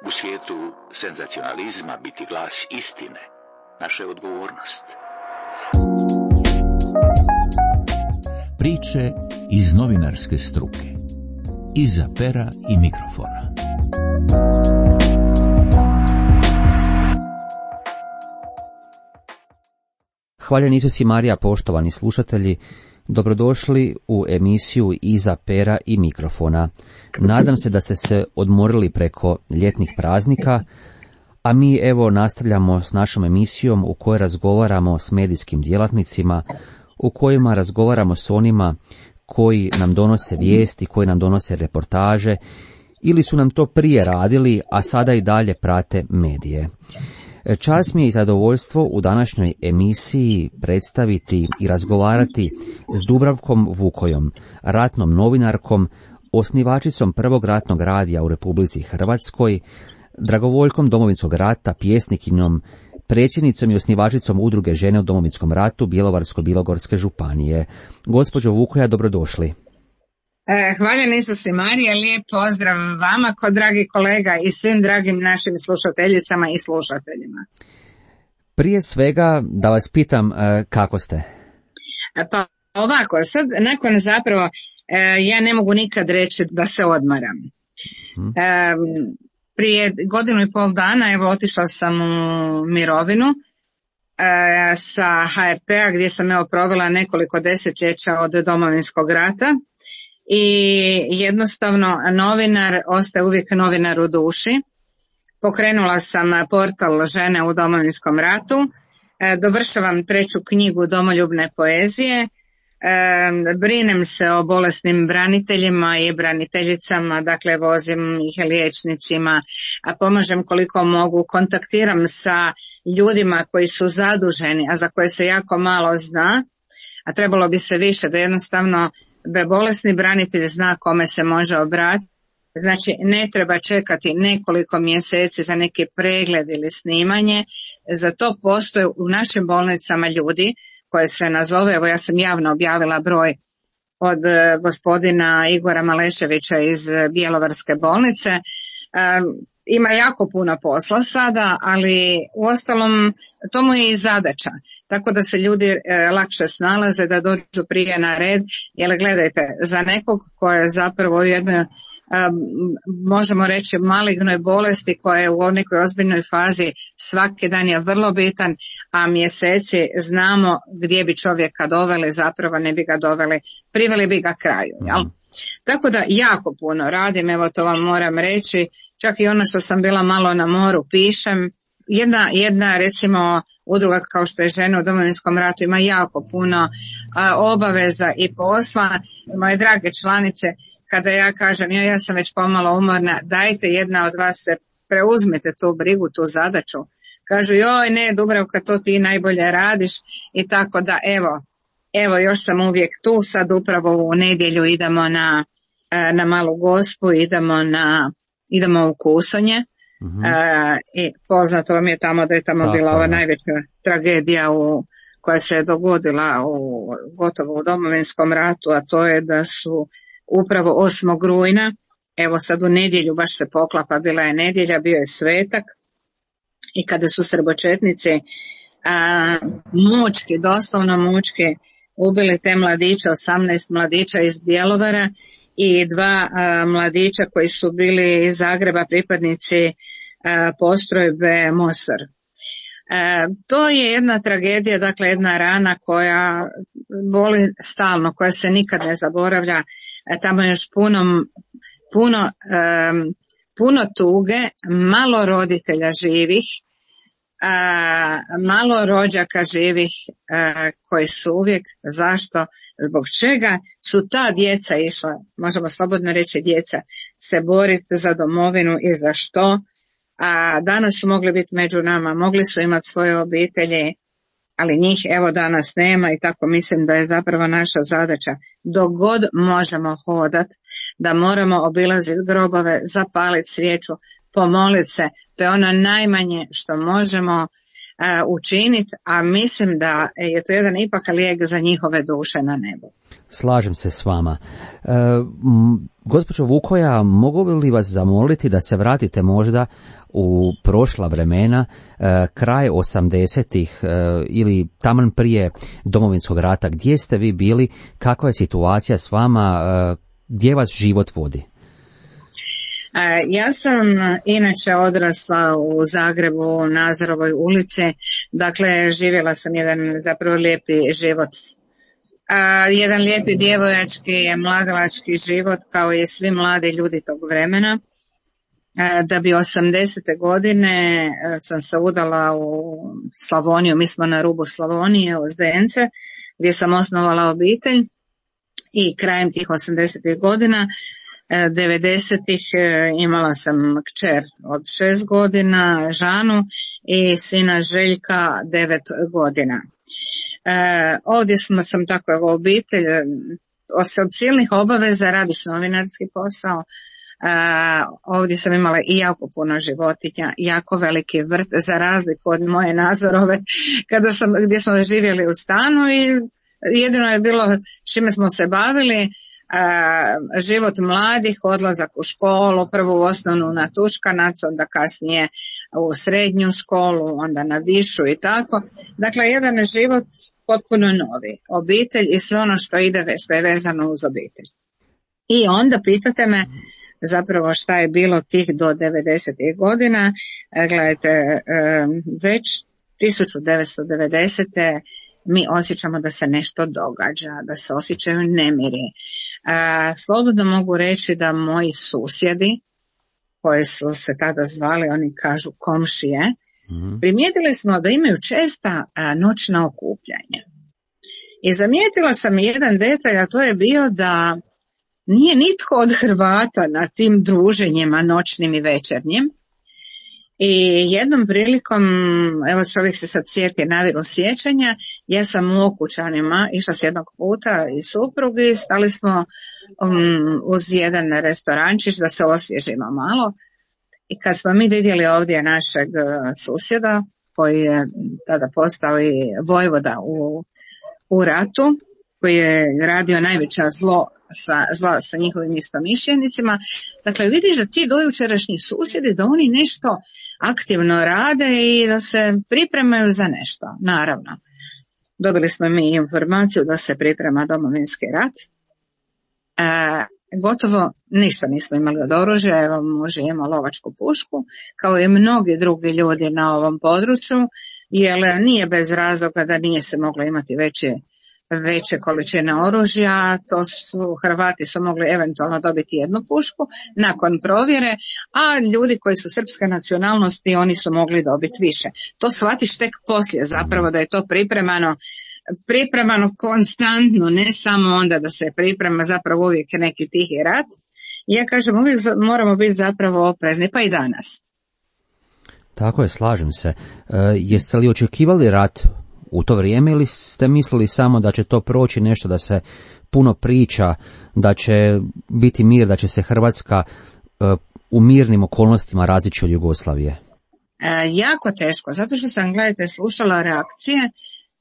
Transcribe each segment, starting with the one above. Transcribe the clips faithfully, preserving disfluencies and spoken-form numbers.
U svijetu senzacionalizma biti glas istine naša je odgovornost. Priče iz novinarske struke. Iza pera i mikrofona. Hvaljen Isus i Marija, poštovani slušatelji, dobrodošli u emisiju Iza pera i mikrofona. Nadam se da ste se odmorili preko ljetnih praznika, a mi evo nastavljamo s našom emisijom u kojoj razgovaramo s medijskim djelatnicima, u kojima razgovaramo s onima koji nam donose vijesti, koji nam donose reportaže, ili su nam to prije radili, a sada i dalje prate medije. Čast mi je i zadovoljstvo u današnjoj emisiji predstaviti i razgovarati s Dubravkom Vukojom, ratnom novinarkom, osnivačicom prvog ratnog radija u Republici Hrvatskoj, dragovoljkom Domovinskog rata, pjesnikinjom, predsjednicom i osnivačicom udruge Žene u Domovinskom ratu Bjelovarsko-bilogorske županije. Gospođo Vukoja, dobrodošli. Hvaljen Isus i Marija, lijep pozdrav vama, ko dragi kolega i svim dragim našim slušateljicama i slušateljima. Prije svega da vas pitam kako ste? Pa ovako, sad nakon zapravo ja ne mogu nikad reći da se odmaram. Hmm. Prije godinu i pol dana evo otišla sam u mirovinu sa H R T-a gdje sam evo provela nekoliko desetljeća od Domovinskog rata. I jednostavno novinar ostaje uvijek novinar u duši. Pokrenula sam portal Žene u Domovinskom ratu, dovršavam treću knjigu domoljubne poezije, brinem se o bolesnim braniteljima i braniteljicama, dakle vozim ih liječnicima, a pomažem koliko mogu, kontaktiram sa ljudima koji su zaduženi, a za koje se jako malo zna, a trebalo bi se više, da jednostavno bolesni branitelj zna kome se može obratiti. Znači ne treba čekati nekoliko mjeseci za neki pregled ili snimanje. Za to postoje u našim bolnicama ljudi koje se nazove, evo ja sam javno objavila broj od gospodina Igora Maleševića iz Bjelovarske bolnice. Ima jako puno posla sada, ali uostalom to mu je i zadaća, tako da se ljudi e, lakše snalaze, da dođu prije na red, jer gledajte, za nekog ko je zapravo u jednoj, e, možemo reći, malignoj bolesti koja je u nekoj ozbiljnoj fazi, svaki dan je vrlo bitan, a mjeseci znamo gdje bi čovjeka doveli, zapravo ne bi ga doveli, priveli bi ga kraju, jel? Mm. Tako da jako puno radim, evo to vam moram reći. Čak i ono što sam bila malo na moru pišem. Jedna, jedna recimo udruga kao što je Žene u Domovinskom ratu ima jako puno a, obaveza i posla. Moje drage članice, kada ja kažem ja, ja sam već pomalo umorna, dajte jedna od vas se preuzmete tu brigu, tu zadaću. Kažu joj ne Dubravka, to ti najbolje radiš i tako da evo, evo još sam uvijek tu, sad upravo u nedjelju idemo na, na Malu Gospu, idemo na idemo u Kusonje. Uh-huh. e, i poznato vam je tamo da je tamo Tako, bila ova ne. najveća tragedija u, koja se je dogodila u, gotovo u Domovinskom ratu, a to je da su upravo osmog rujna, evo sad u nedjelju baš se poklapa, bila je nedjelja, bio je svetak i kada su srbočetnici a, mučki, doslovno mučki ubili te mladiće, osamnaest mladića iz Bjelovara i dva a, mladića koji su bili iz Zagreba, pripadnici a, postrojbe Mosor. A, to je jedna tragedija, dakle jedna rana koja boli stalno, koja se nikad ne zaboravlja. A, tamo je još puno, puno, a, puno tuge, malo roditelja živih, a, malo rođaka živih a, koji su uvijek, zašto? Zbog čega su ta djeca išla, možemo slobodno reći djeca, se boriti za domovinu i za što, a danas su mogli biti među nama, mogli su imati svoje obitelji, ali njih evo danas nema i tako mislim da je zapravo naša zadaća, dok god možemo hodat, da moramo obilaziti grobove, zapaliti svijeću, pomoliti se, to je ono najmanje što možemo. učiniti, a mislim da je to jedan ipak lijek za njihove duše na nebu. Slažem se s vama. E, gospođo Vukoja, mogu li vas zamoliti da se vratite možda u prošla vremena, e, kraj osamdesetih e, ili taman prije Domovinskog rata, gdje ste vi bili, kakva je situacija s vama, e, gdje vas život vodi? Ja sam inače odrasla u Zagrebu, u Nazorovoj ulici, dakle živjela sam jedan zapravo lijepi život, a, jedan lijepi djevojački, mladalački život kao i svi mladi ljudi tog vremena. A, da bi osamdesete godine sam se udala u Slavoniju, mi smo na rubu Slavonije, u Zdence, gdje sam osnovala obitelj i krajem tih osamdesetih godina devedesetih imala sam kćer od šest godina, Žanu, i sina Željka devet godina. E, ovdje smo sam tako evo obitelj, od silnih obaveza radiš novinarski posao. E, ovdje sam imala i jako puno životinja, jako veliki vrt, za razliku od moje Nazorove kada sam, gdje smo živjeli u stanu i jedino je bilo čime smo se bavili. Uh, život mladih, odlazak u školu, prvo u osnovnu na Tuškanac, onda kasnije u srednju školu, onda na višu i tako. Dakle, jedan život potpuno novi, obitelj i sve ono što ide, što je vezano uz obitelj. I onda pitate me zapravo šta je bilo tih do devedesetih godina. Gledajte, već tisuću devetsto devedesete mi osjećamo da se nešto događa, da se osjećaju nemiri. A, slobodno mogu reći da moji susjedi, koji su se tada zvali, oni kažu komšije, mm-hmm. primijetili smo da imaju česta a, noćna okupljanja. I zamijetila sam jedan detalj, a to je bio da nije nitko od Hrvata na tim druženjima noćnim i večernjim. I jednom prilikom, evo čovjek se sad sjeti naviru sjećanja, ja sam u Okučanima išla s jednog puta i suprugi, stali smo um, uz jedan restorančić da se osvježimo malo i kad smo mi vidjeli ovdje našeg susjeda koji je tada postao i vojvoda u, u ratu, koji je radio najveća zlo sa, zla sa njihovim istomišljenicima. Dakle, vidiš da ti dojučerašnji susjedi, da oni nešto aktivno rade i da se pripremaju za nešto, naravno. Dobili smo mi informaciju da se priprema Domovinski rat. E, gotovo ništa nismo imali od oružja, evo može ima lovačku pušku, kao i mnogi drugi ljudi na ovom području, jer nije bez razloga da nije se moglo imati veće veće količine oružja, to su Hrvati su mogli eventualno dobiti jednu pušku nakon provjere, a ljudi koji su srpske nacionalnosti oni su mogli dobiti više. To shvatiš tek poslije zapravo da je to pripremano, pripremano konstantno, ne samo onda da se priprema zapravo uvijek neki tihi rat. Ja kažem, uvijek moramo biti zapravo oprezni, pa i danas. Tako je, slažem se. E, jeste li očekivali rat u to vrijeme ili ste mislili samo da će to proći nešto, da se puno priča, da će biti mir, da će se Hrvatska uh, u mirnim okolnostima razići od Jugoslavije? E, jako teško, zato što sam, gledajte, slušala reakcije,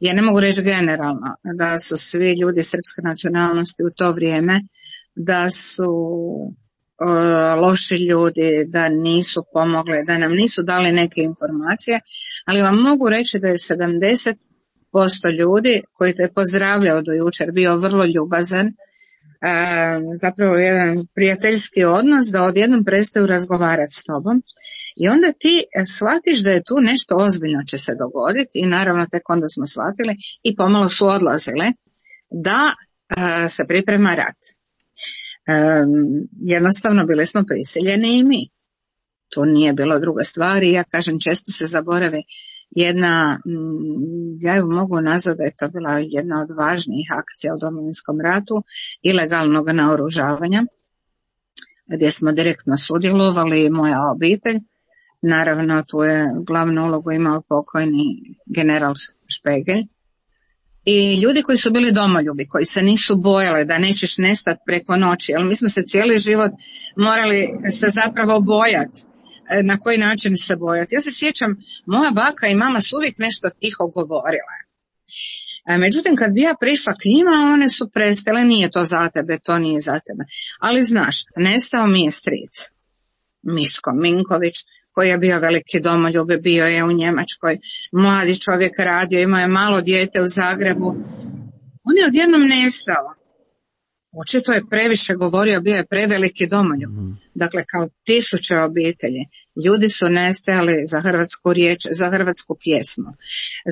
ja ne mogu reći generalno, da su svi ljudi srpske nacionalnosti u to vrijeme, da su uh, loši ljudi, da nisu pomogli, da nam nisu dali neke informacije, ali vam mogu reći da je sedamdeset posto ljudi koji te pozdravljao do jučer bio vrlo ljubazan, e, zapravo jedan prijateljski odnos, da odjednom prestaju razgovarati s tobom i onda ti shvatiš da je tu nešto ozbiljno će se dogoditi i naravno tek onda smo shvatili i pomalo su odlazile da e, se priprema rat. E, jednostavno bili smo prisiljeni i mi. Tu nije bilo druga stvar i ja kažem često se zaboravi jedna, ja ju mogu nazvati da je to bila jedna od važnijih akcija u Domovinskom ratu, ilegalnog naoružavanja, gdje smo direktno sudjelovali i moja obitelj. Naravno, tu je glavnu ulogu imao pokojni general Špegelj. I ljudi koji su bili domoljubi, koji se nisu bojali da nećeš nestati preko noći, jer mi smo se cijeli život morali se zapravo bojati na koji način se bojati. Ja se sjećam, moja baka i mama su uvijek nešto tiho govorile. Međutim, kad bi ja prišla k njima, one su prestale, nije to za tebe, to nije za tebe. Ali znaš, nestao mi je stric, Miško Minković, koji je bio veliki domoljub, bio je u Njemačkoj, mladi čovjek radio, imao je malo dijete u Zagrebu. On je odjednom nestao. Očito je previše govorio, bio je preveliki domoljub. Dakle, kao tisuće obitelji. Ljudi su nestajali za hrvatsku riječ, za hrvatsku pjesmu.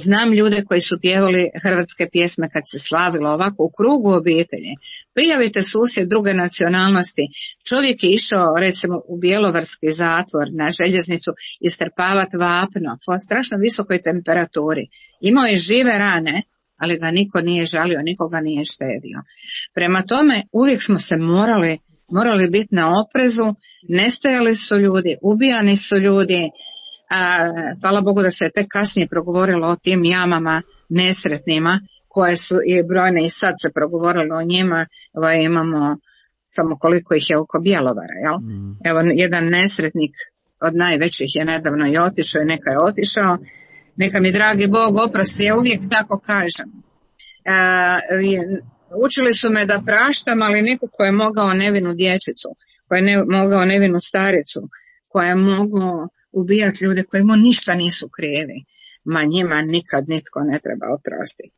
Znam ljude koji su pjevali hrvatske pjesme kad se slavilo ovako u krugu obitelji. Prijavite susjed druge nacionalnosti. Čovjek je išao recimo u bjelovarski zatvor na željeznicu istrpavati vapno po strašno visokoj temperaturi. Imao je žive rane, ali ga niko nije žalio, nikoga nije štedio. Prema tome, uvijek smo se morali, morali biti na oprezu, nestajali su ljudi, ubijani su ljudi, a, hvala Bogu da se tek kasnije progovorilo o tim jamama nesretnima, koje su i brojne i sad se progovorilo o njima, evo imamo samo koliko ih je oko Bjelovara, jel? Mm. Evo jedan nesretnik od najvećih je nedavno i otišao i neka je otišao. Neka mi dragi Bog oprosti, ja uvijek tako kažem. E, učili su me da praštam, ali niko ko je mogao nevinu dječicu, ko je ne, mogao nevinu staricu, ko je mogao ubijati ljude koji mu ništa nisu krivi, ma njima nikad nitko ne treba oprostiti.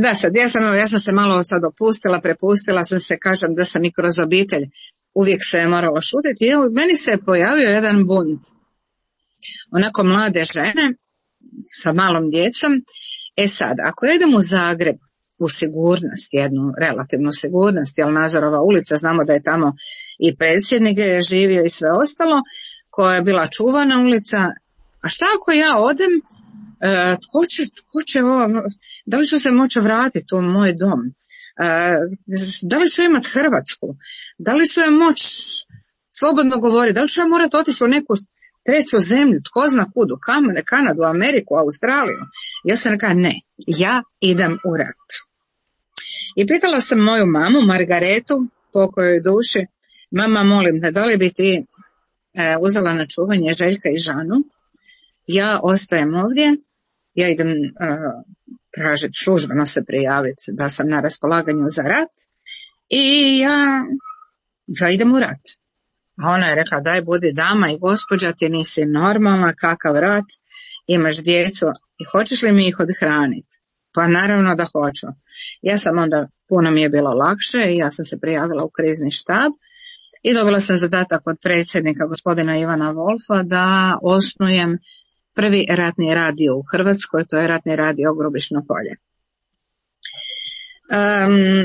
Da, sad, ja sam, ja sam se malo sad opustila, prepustila sam se, kažem da sam i kroz obitelj, uvijek se je moralo šutiti. I evo, meni se je pojavio jedan bunt. Onako mlade žene, sa malom djecom. E sad, ako ja idem u Zagreb u sigurnost, jednu relativnu sigurnost, jer Nazorova ulica, znamo da je tamo i predsjednik je živio i sve ostalo, koja je bila čuvana ulica, a šta ako ja odem, e, tko će, tko će ovo, da li ću se moći vratiti u moj dom, e, da li ću imati Hrvatsku, da li ću ja moći slobodno govoriti, da li ću ja morati otići u neku treću zemlju, tko zna kudu, Kanadu, Ameriku, Australiju. Ja sam rekla ne, ja idem u rat. I pitala sam moju mamu, Margaretu, pokojoj duši, mama molim te, da li bi ti e, uzela na čuvanje Željka i Žanu, ja ostajem ovdje, ja idem e, tražiti službeno se prijaviti da sam na raspolaganju za rat i ja, ja idem u rat. A ona je rekla, daj budi dama i gospođa, ti nisi normalna, kakav rat, imaš djecu i hoćeš li mi ih odhraniti? Pa naravno da hoću. Ja sam onda, puno mi je bilo lakše i ja sam se prijavila u krizni štab i dobila sam zadatak od predsjednika gospodina Ivana Wolfa da osnujem prvi ratni radio u Hrvatskoj, to je ratni radio Grubišno Polje. Um,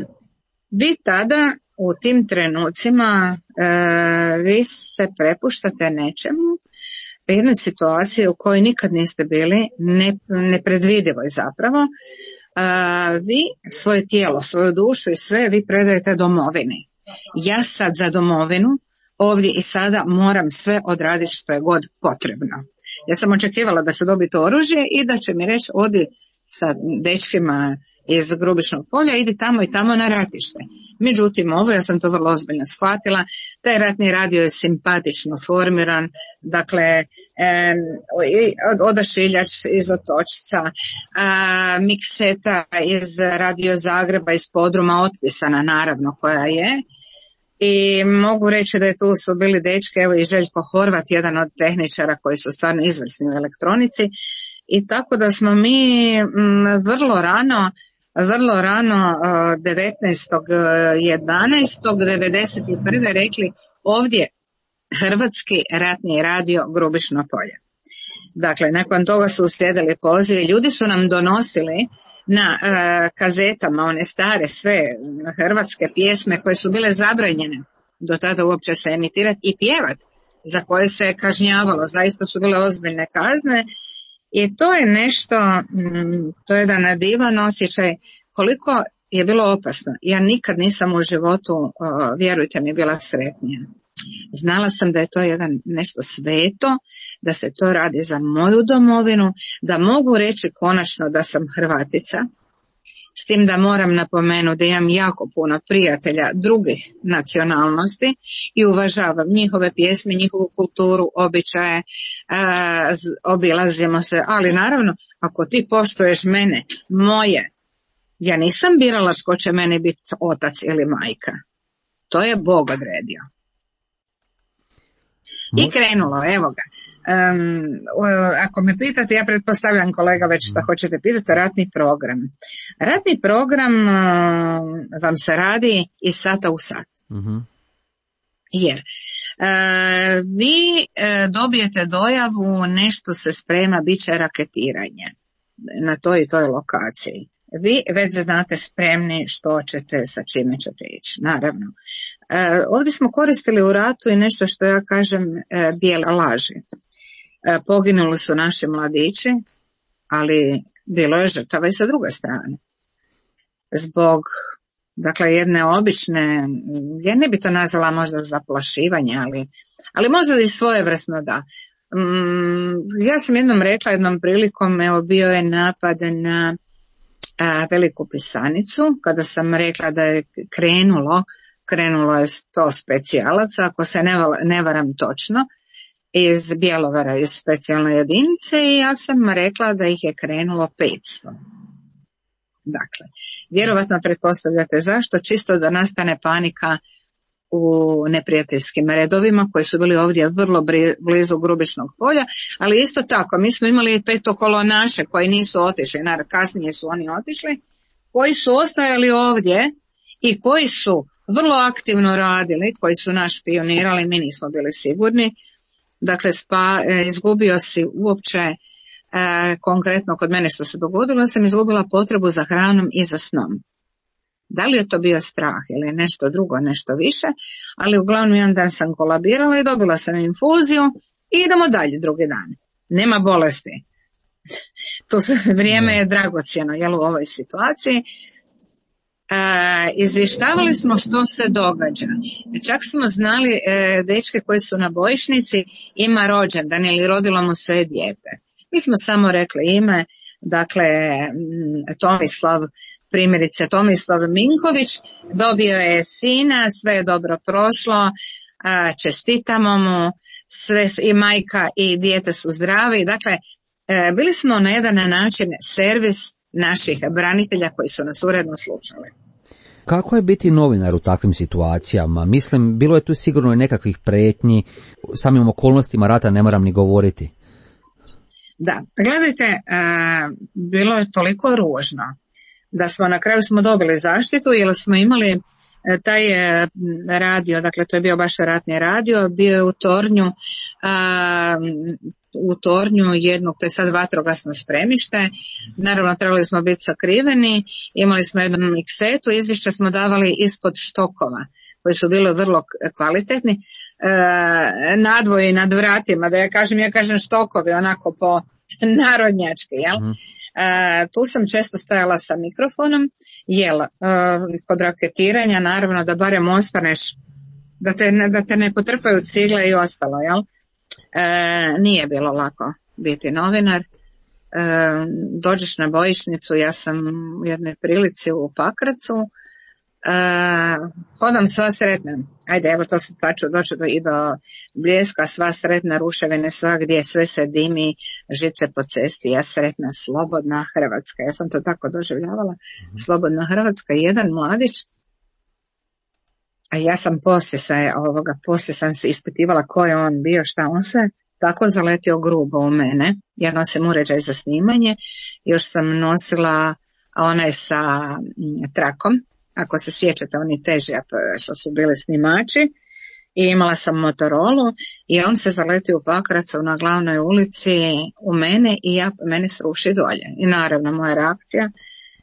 vi tada u tim trenucima e, vi se prepuštate nečemu, jednoj situaciji u kojoj nikad niste bili, ne, nepredvidivoj zapravo. E, vi svoje tijelo, svoju dušu i sve vi predajete domovini. Ja sad za domovinu ovdje i sada moram sve odraditi što je god potrebno. Ja sam očekivala da ću dobiti oružje i da će mi reći odi sa dečkima iz Grubišnog Polja, idi tamo i tamo na ratište. Međutim, ovo, ja sam to vrlo ozbiljno shvatila, taj ratni radio je simpatično formiran, dakle, e, odašiljač iz Otočca, a, mikseta iz Radio Zagreba, iz podruma otpisana, naravno, koja je. I mogu reći da je tu su bili dečke, evo i Željko Horvat, jedan od tehničara koji su stvarno izvrsni u elektronici. I tako da smo mi m, vrlo rano, vrlo rano devetnaestog jedanaestog devedeset prve rekli ovdje Hrvatski ratni radio Grubišno Polje. Dakle, nakon toga su uslijedili pozivi, ljudi su nam donosili na uh, kazetama one stare sve hrvatske pjesme koje su bile zabranjene do tada uopće se emitirati i pjevati, za koje se kažnjavalo, zaista su bile ozbiljne kazne. I to je nešto, to je jedan divan osjećaj, koliko je bilo opasno. Ja nikad nisam u životu, vjerujte mi, bila sretnija. Znala sam da je to jedan nešto sveto, da se to radi za moju domovinu, da mogu reći konačno da sam Hrvatica S tim da moram napomenuti da imam jako puno prijatelja drugih nacionalnosti i uvažavam njihove pjesme, njihovu kulturu, običaje, a, obilazimo se, ali naravno ako ti poštuješ mene, moje, ja nisam birala tko će meni biti otac ili majka. To je Bog odredio. I krenulo, evo ga. Um, ako me pitate, ja pretpostavljam kolega već što hoćete pitati, ratni program. Ratni program uh, vam se radi iz sata u sat. Uh-huh. Jer uh, vi uh, dobijete dojavu, nešto se sprema, bit će raketiranje na toj i toj lokaciji. Vi već znate spremni što ćete, sa čime ćete ići, naravno. E, ovdje smo koristili u ratu i nešto što ja kažem e, bijele laži. E, poginuli su naši mladići, ali bilo je žrtava i sa druge strane. Zbog, dakle, jedne obične, ja ne bi to nazvala možda zaplašivanje, ali, ali možda i svojevrsno da. Mm, ja sam jednom rekla, jednom prilikom, evo bio je napad na a, veliku pisanicu, kada sam rekla da je krenulo Krenulo je sto specijalaca, ako se ne, ne varam točno, iz Bjelovara, iz specijalne jedinice i ja sam rekla da ih je krenulo petsto. Dakle, vjerovatno pretpostavljate zašto, čisto da nastane panika u neprijateljskim redovima koji su bili ovdje vrlo blizu Grubišnog polja, ali isto tako mi smo imali petokolonaše koji nisu otišli, naravno kasnije su oni otišli, koji su ostajali ovdje i koji su vrlo aktivno radili, koji su nas špionirali, mi nismo bili sigurni. Dakle, spa, e, izgubio si uopće, e, konkretno kod mene što se dogodilo, sam izgubila potrebu za hranom i za snom. Da li je to bio strah ili nešto drugo, nešto više, ali uglavnom jedan dan sam kolabirala i dobila sam infuziju i idemo dalje drugi dan. Nema bolesti. To se, vrijeme je dragocjeno, jel, u ovoj situaciji. Uh, izvještavali smo što se događa. Čak smo znali uh, dečke koji su na bojišnici, ima rođendan ili rodilo mu se dijete. Mi smo samo rekli ime, dakle Tomislav, primjerice Tomislav Minković, dobio je sina, sve je dobro prošlo, uh, čestitamo mu, sve su, i majka i dijete su zdravi. Dakle, uh, bili smo na jedan način servis naših branitelja koji su nas uredno slušali. Kako je biti novinar u takvim situacijama? Mislim, bilo je tu sigurno i nekakvih prijetnji, samim okolnostima rata ne moram ni govoriti. Da, gledajte, uh, bilo je toliko ružno da smo na kraju smo dobili zaštitu jer smo imali uh, taj uh, radio, dakle to je bio baš ratni radio, bio je u tornju, uh, u tornju jednog, to je sad vatrogasno spremište, naravno trebali smo biti sakriveni, imali smo jednu miksetu, izvješća smo davali ispod štokova, koji su bili vrlo kvalitetni, e, nadvoji nad vratima, da ja kažem, ja kažem štokovi, onako po narodnjački, jel? Mm. E, tu sam često stajala sa mikrofonom, jel, e, kod raketiranja, naravno da barem ostaneš, da te, da te ne potrpaju cigle i ostalo, jel? E, nije bilo lako biti novinar. E, dođeš na bojišnicu, ja sam u jednoj prilici u Pakracu, e, hodam sva sretna, ajde evo to se taču doći do, i do Bljeska, sva sretna, ruševine svagdje, sve se dimi, žice po cesti, ja sretna, slobodna Hrvatska, ja sam to tako doživljavala, mm-hmm. Slobodna Hrvatska, jedan mladić. A ja sam poslije se, ovoga, poslije sam se ispitivala ko je on bio, šta on se, tako zaletio grubo u mene. Ja nosim uređaj za snimanje, još sam nosila onaj sa trakom, ako se sjećate, oni teži što su bili snimači, i imala sam Motorolu i on se zaletio u Pakracu na glavnoj ulici u mene i ja, mene sruši dolje. I naravno moja reakcija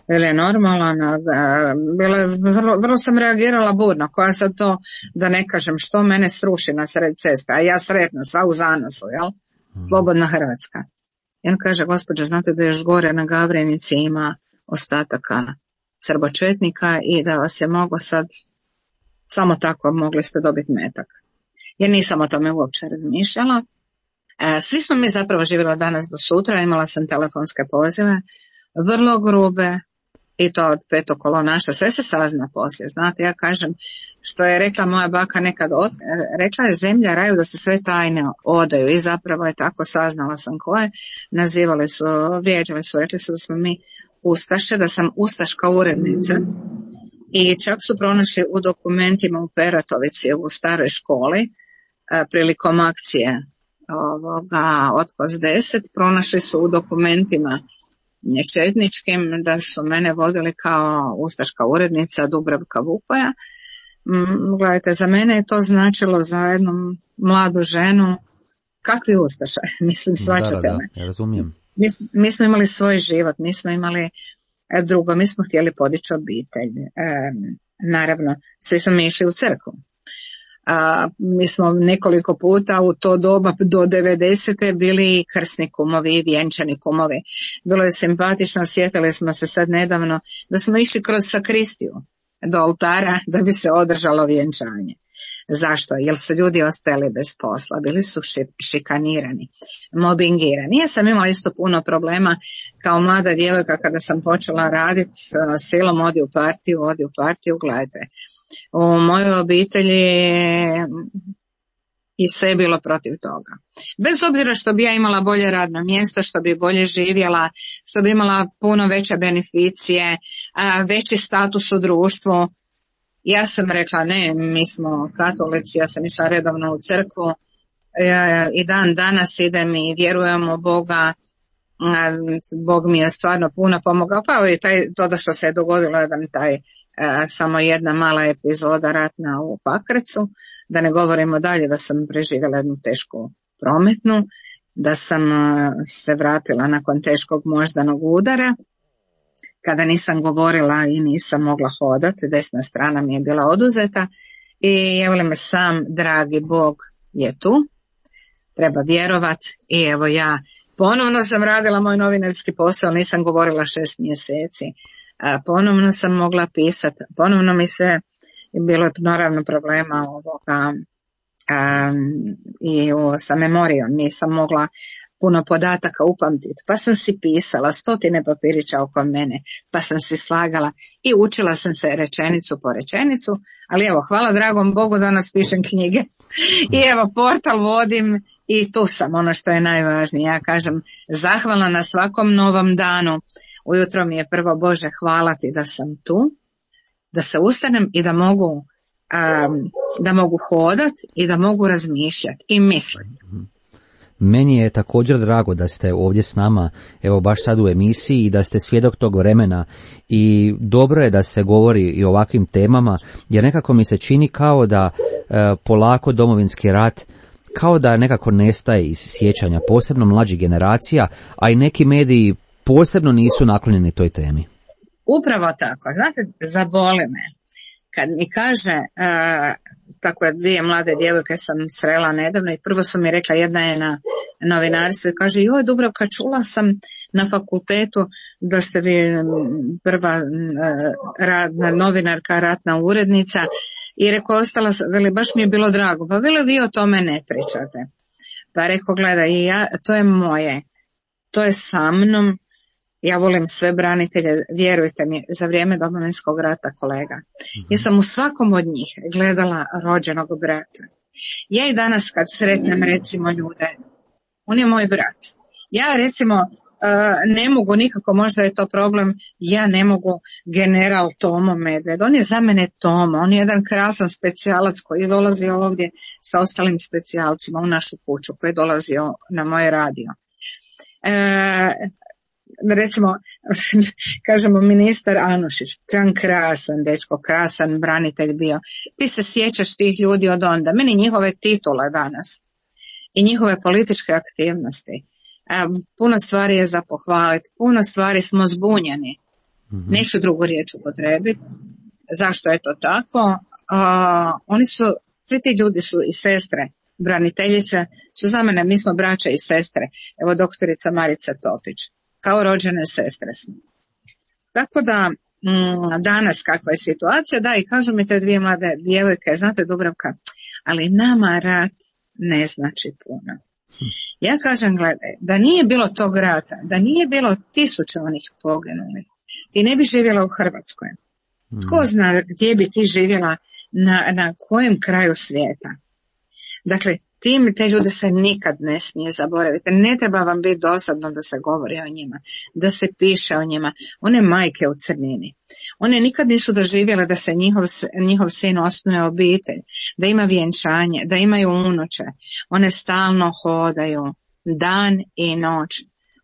bila je normalna, bila je, vrlo, vrlo sam reagirala burno, koja sad to, da ne kažem što mene sruši na sred cesta, a ja sretna, sva u zanosu, jel? Slobodna Hrvatska. I on kaže, gospođo, znate da još gore na Gavrenici ima ostataka srbočetnika i da vas je mogo sad, samo tako mogli ste dobiti metak. Ja nisam o tome uopće razmišljala. E, svi smo mi zapravo živjeli danas do sutra, imala sam telefonske pozive, vrlo grube, i to od petokolonaša, sve se sazna poslije, znate, ja kažem, što je rekla moja baka nekad, od, rekla je zemlja raju da se sve tajne odaju i zapravo je tako, saznala sam koje, nazivali su, vrijeđali su, rekli su da smo mi ustaše, da sam ustaška urednica i čak su pronašli u dokumentima u Peratovici u staroj školi a, prilikom akcije ovoga Otkos deset, pronašli su u dokumentima četničkim da su mene vodili kao ustaška urednica Dubravka Vukoja. Mm, gledajte, za mene je to značilo za jednu mladu ženu, kakvi ustaša, mislim, svačate da, da, me. da, ja razumijem. Mi, mi smo imali svoj život, mi smo imali drugo, mi smo htjeli podići obitelj. E, naravno, svi smo mi išli u crkvu. A, mi smo nekoliko puta u to doba do devedesete bili krsni kumovi i vjenčani kumovi. Bilo je simpatično, sjetili smo se sad nedavno da smo išli kroz sakristiju do oltara da bi se održalo vjenčanje. Zašto? Jer su ljudi ostajali bez posla, bili su šikanirani, mobingirani. Ja sam imala isto puno problema kao mlada djevojka kada sam počela raditi silom, odi u partiju, odi u partiju, gledajte. U mojoj obitelji i sve je bilo protiv toga. Bez obzira što bi ja imala bolje radno mjesto, što bi bolje živjela, što bi imala puno veće beneficije, veći status u društvu, ja sam rekla ne, mi smo katolici, ja sam išla redovno u crkvu ja, i dan danas idem i vjerujem u Boga. Bog mi je stvarno puno pomogao, pa i taj, to da što se je dogodilo jedan taj a, samo jedna mala epizoda ratna u Pakracu, da ne govorimo dalje da sam preživjela jednu tešku prometnu, da sam a, se vratila nakon teškog moždanog udara, kada nisam govorila i nisam mogla hodati, desna strana mi je bila oduzeta i evo li me sam dragi Bog je tu, treba vjerovati i evo ja ponovno sam radila moj novinarski posao, nisam govorila šest mjeseci, a ponovno sam mogla pisati, ponovno mi se, bilo je naravno problema ovoga a, i o, sa memorijom, nisam mogla puno podataka upamtiti, pa sam si pisala stotine papirića oko mene, pa sam si slagala i učila sam se rečenicu po rečenicu, ali evo, hvala dragom Bogu danas pišem knjige i evo, portal vodim i tu sam, ono što je najvažnije. Ja kažem, zahvalna na svakom novom danu, ujutro mi je prvo Bože hvala ti da sam tu, da se ustanem i da mogu, um, da mogu hodat i da mogu razmišljati i misliti. Meni je također drago da ste ovdje s nama, evo baš sad u emisiji i da ste svjedok tog vremena i dobro je da se govori i o ovakvim temama, jer nekako mi se čini kao da e, polako Domovinski rat kao da nekako nestaje iz sjećanja, posebno mlađih generacija, a i neki mediji posebno nisu naklonjeni toj temi. Upravo tako, znate, zaboli me. Kad mi kaže, uh, tako je dvije mlade djevojke sam srela nedavno i prvo su mi rekla, jedna je na novinarstvu, kaže, joj Dubravka, čula sam na fakultetu da ste vi prva uh, radna novinarka, ratna urednica i rekao, ostala, veli, baš mi je bilo drago, pa veli, vi o tome ne pričate. Pa rekao, gledaj, ja, to je moje, to je sa mnom. Ja volim sve branitelje, vjerujte mi, za vrijeme Domovinskog rata, kolega. Ja sam u svakom od njih gledala rođenog brata. Ja i danas kad sretnem recimo ljude, on je moj brat. Ja recimo ne mogu nikako, možda je to problem, ja ne mogu general Tomo Medved. On je za mene Tomo, on je jedan krasan specijalac koji je dolazio ovdje sa ostalim specijalcima u našu kuću, koji je dolazio na moj radio. E, recimo, kažemo ministar Anušić, to je on krasan dečko, krasan branitelj bio. Ti se sjećaš tih ljudi od onda. Meni njihove titule danas i njihove političke aktivnosti. Puno stvari je za pohvaliti, puno stvari smo zbunjeni. Mm-hmm. Neću drugu riječ upotrebiti. Zašto je to tako? A, oni su, svi ti ljudi su i sestre, braniteljice, su za mene, mi smo braća i sestre. Evo doktorica Marica Topić, kao rođene sestre smo. Tako da, mm, danas kakva je situacija, da, i kažu mi te dvije mlade djevojke, znate Dubravka, ali nama rat ne znači puno. Ja kažem, gledaj, da nije bilo tog rata, da nije bilo tisuće onih poginulih, i ne bi živjela u Hrvatskoj. Tko zna gdje bi ti živjela, na, na kojem kraju svijeta. Dakle, tim te ljude se nikad ne smije zaboraviti. Ne treba vam biti dosadno da se govori o njima, da se piše o njima. One majke u crnini. One nikad nisu doživjele da se njihov, njihov sin osnuje obitelj, da ima vjenčanje, da imaju unuče. One stalno hodaju dan i noć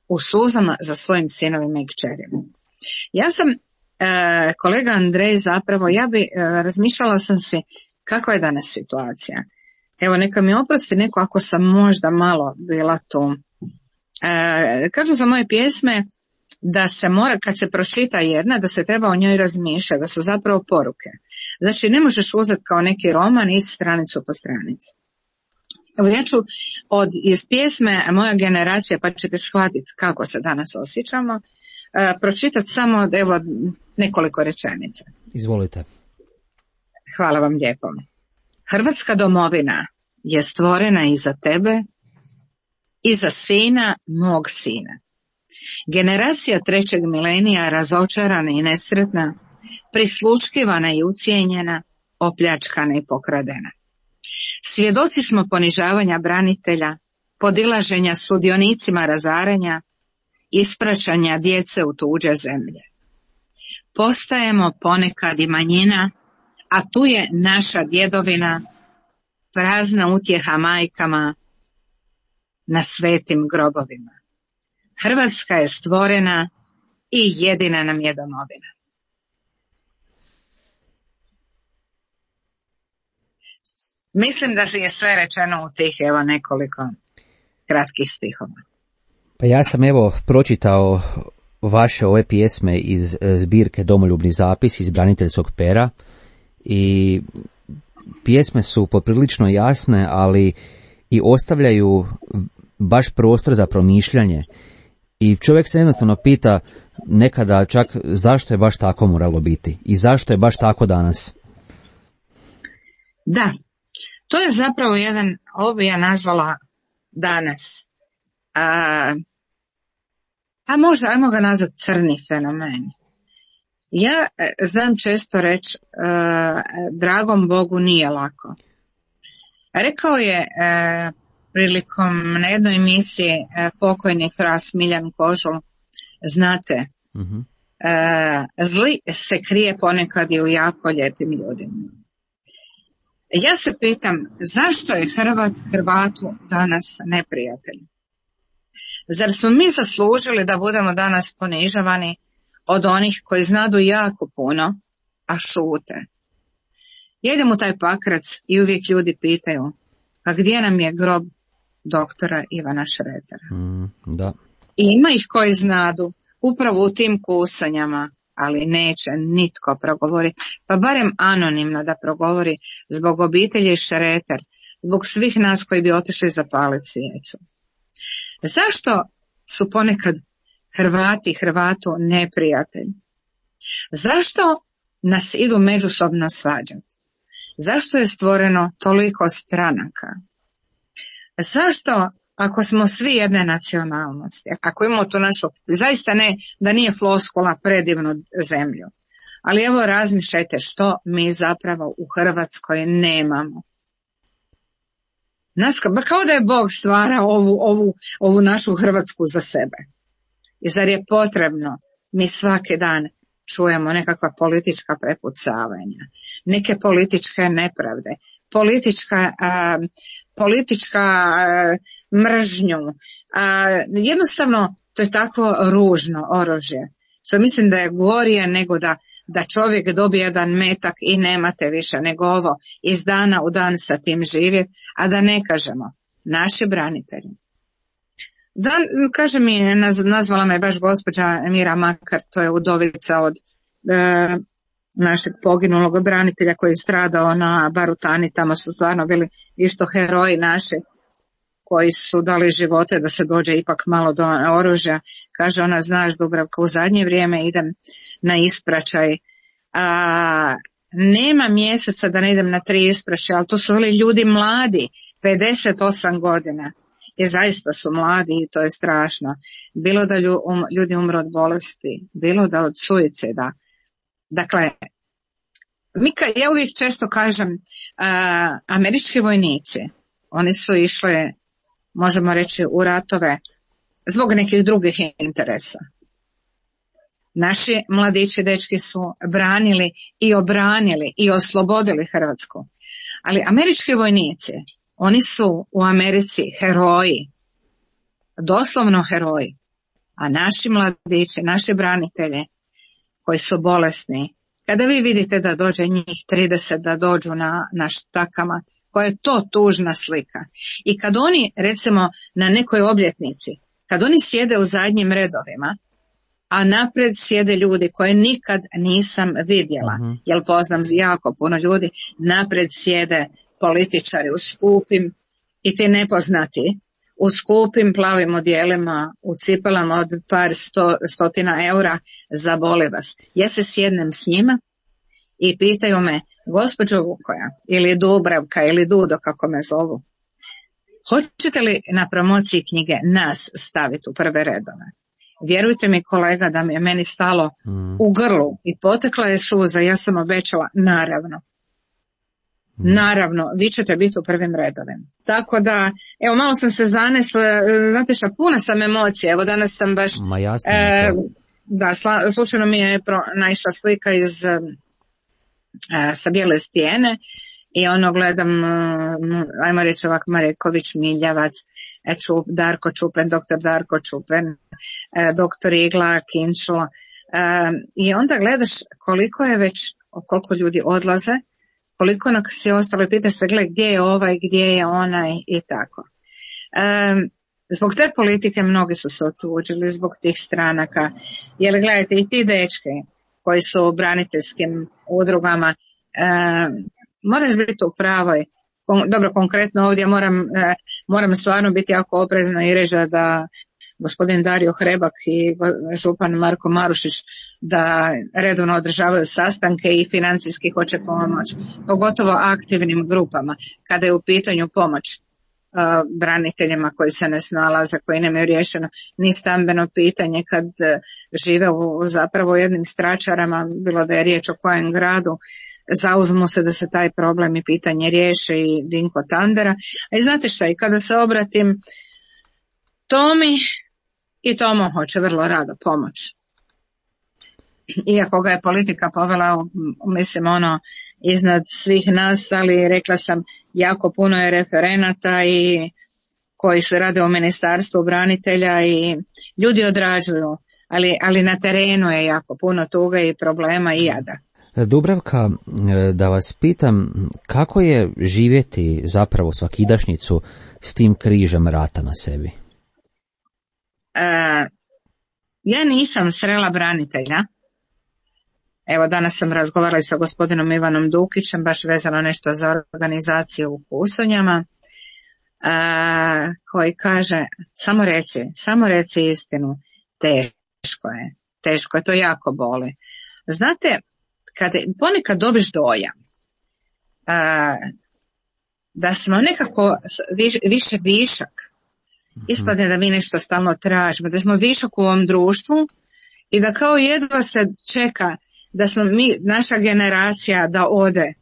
u suzama za svojim sinovima i kćerima. Ja sam, e, kolega Andrej, zapravo, ja bi e, razmišljala sam si kakva je danas situacija. Evo, neka mi oprosti neko ako sam možda malo bila tu. E, kažu za moje pjesme da se mora, kad se pročita jedna, da se treba o njoj razmišljati, da su zapravo poruke. Znači, ne možeš uzeti kao neki roman iz stranicu po stranici. Evo, ja ću od, iz pjesme Moja generacija, pa ćete shvatiti kako se danas osjećamo, e, pročitati samo, evo, nekoliko rečenica. Izvolite. Hvala vam lijepo. Hrvatska domovina je stvorena i za tebe i za sina mog sina. Generacija trećeg milenija razočarana i nesretna, prisluškivana i ucijenjena, opljačkana i pokradena. Svjedoci smo ponižavanja branitelja, podilaženja sudionicima razaranja, ispraćanja djece u tuđe zemlje. Postajemo ponekad i manjina, a tu je naša djedovina, prazna utjeha majkama na svetim grobovima. Hrvatska je stvorena i jedina nam je domovina. Mislim da je sve rečeno u tih evo nekoliko kratkih stihova. Pa ja sam evo pročitao vaše ove pjesme iz zbirke Domoljubni zapis iz braniteljskog pera i pjesme su poprilično jasne, ali i ostavljaju baš prostor za promišljanje. I čovjek se jednostavno pita nekada čak zašto je baš tako moralo biti i zašto je baš tako danas. Da, to je zapravo jedan, ovo bi ja nazvala danas, a, a možda, ajmo ga nazvati crni fenomen. Ja znam često reći, uh, dragom Bogu nije lako. Rekao je uh, prilikom na jednoj emisiji uh, pokojni fras Miljan Kožul, znate, uh-huh. uh, zli se krije ponekad i u jako lijepim ljudima. Ja se pitam, zašto je Hrvat Hrvatu danas neprijatelj? Zar smo mi zaslužili da budemo danas ponižavani od onih koji znadu jako puno, a šute? Ja idem u taj Pakrac i uvijek ljudi pitaju, a gdje nam je grob doktora Ivana Šretera? Mm, da. I ima ih koji znadu, upravo u tim kusanjama, ali neće nitko progovoriti, pa barem anonimno da progovori zbog obitelji Šreter, zbog svih nas koji bi otišli zapaliti svijeću. Zašto su ponekad Hrvati Hrvatu neprijatelji? Zašto nas idu međusobno svađati? Zašto je stvoreno toliko stranaka? Zašto, ako smo svi jedne nacionalnosti, ako imamo tu našu, zaista ne, da nije floskula predivnu zemlju, ali evo razmišljajte što mi zapravo u Hrvatskoj nemamo. Nas, kao da je Bog stvara ovu, ovu, ovu našu Hrvatsku za sebe. I zar je potrebno, mi svaki dan čujemo nekakva politička prepucavanja, neke političke nepravde, politička, a, politička a, mržnju. A, jednostavno, to je tako ružno oružje, što mislim da je gorije nego da, da čovjek dobije jedan metak i nemate više, nego ovo iz dana u dan sa tim živjeti, a da ne kažemo naši branitelji. Da, kaže mi, nazvala me baš gospođa Mira Makar, to je udovica od e, našeg poginulog branitelja koji je stradao na Barutani, tamo su stvarno bili isto heroji naši koji su dali živote da se dođe ipak malo do oružja. Kaže ona, znaš Dubravka, u zadnje vrijeme idem na ispraćaj, a, nema mjeseca da ne idem na tri ispraćaja, ali to su bili ljudi mladi, pedeset osam godina. i zaista su mladi i to je strašno. Bilo da ljudi umru od bolesti, bilo da od suicida. Dakle, mi ka, ja uvijek često kažem, uh, američki vojnici, oni su išli, možemo reći, u ratove zbog nekih drugih interesa. Naši mladići dečki su branili i obranili i oslobodili Hrvatsku. Ali američki vojnici, oni su u Americi heroji, doslovno heroji. A naši mladići, naši branitelji koji su bolesni, kada vi vidite da dođe njih trideset da dođu na, na štakama, koja je to tužna slika. I kad oni, recimo, na nekoj obljetnici, kad oni sjede u zadnjim redovima, a napred sjede ljudi koje nikad nisam vidjela, uh-huh. jer poznam jako puno ljudi, napred sjede političari u skupim i ti nepoznati, u skupim plavim odjelima, u cipelama od par sto, stotina eura, zaboli vas. Ja se sjednem s njima i pitaju me, gospođo Vukoja, ili Dubravka, ili Dudo, kako me zovu, hoćete li na promociji knjige nas staviti u prve redove? Vjerujte mi, kolega, da mi je meni stalo mm. u grlu i potekla je suza, ja sam obećala, naravno. Mm. Naravno, vi ćete biti u prvim redovima. Tako da, evo, malo sam se zanesla, znate šta, puna sam emocije, evo danas sam baš, Ma jasno, e, da, sla, slučajno mi je pro, naišla slika iz, e, sa Bijele stijene, i ono gledam, ajmo reći ovak, Mareković, Miljavac, Čup, Darko Čupen, doktor Darko Čupen, doktor Igla, Kinčlo, i onda gledaš koliko je već, koliko ljudi odlaze, koliko nas je ostalo i pitaš se, gled, gdje je ovaj, gdje je onaj i tako. Zbog te politike mnogi su se otuđili, zbog tih stranaka, jer gledajte, i ti dečki koji su u braniteljskim udrugama, moraš biti u pravoj, dobro, konkretno ovdje moram, moram stvarno biti jako oprezna i reći da gospodin Dario Hrebak i župan Marko Marušić da redovno održavaju sastanke i financijski hoće pomoć, pogotovo aktivnim grupama, kada je u pitanju pomoć uh, braniteljima koji se ne snalaze, koji nemaju riješeno ni stambeno pitanje, kad uh, žive u zapravo jednim stračarama, bilo da je riječ o kojem gradu, zauzmu se da se taj problem i pitanje riješe i Dinko Tandera. A i znate šta, i kada se obratim Tomi, i Tomo hoće vrlo rado pomoć. Iako ga je politika povela, mislim, ono, iznad svih nas, ali rekla sam, jako puno je referenata i koji se rade u ministarstvu branitelja i ljudi odrađuju, ali, ali na terenu je jako puno tuga i problema i jada. Dubravka, da vas pitam, kako je živjeti zapravo svakidašnjicu s tim križem rata na sebi? Uh, ja nisam srela branitelja. Evo, danas sam razgovarala sa gospodinom Ivanom Dukićem, baš vezano nešto za organizaciju u Kusonjama, uh, koji kaže, samo reci, samo reci istinu, teško je, teško je, to jako boli. Znate, kad ponekad dobiš dojam uh, da smo nekako viš, više višak, ispadne da mi nešto stalno tražimo, da smo višak u ovom društvu i da kao jedva se čeka da smo mi, naša generacija da ode.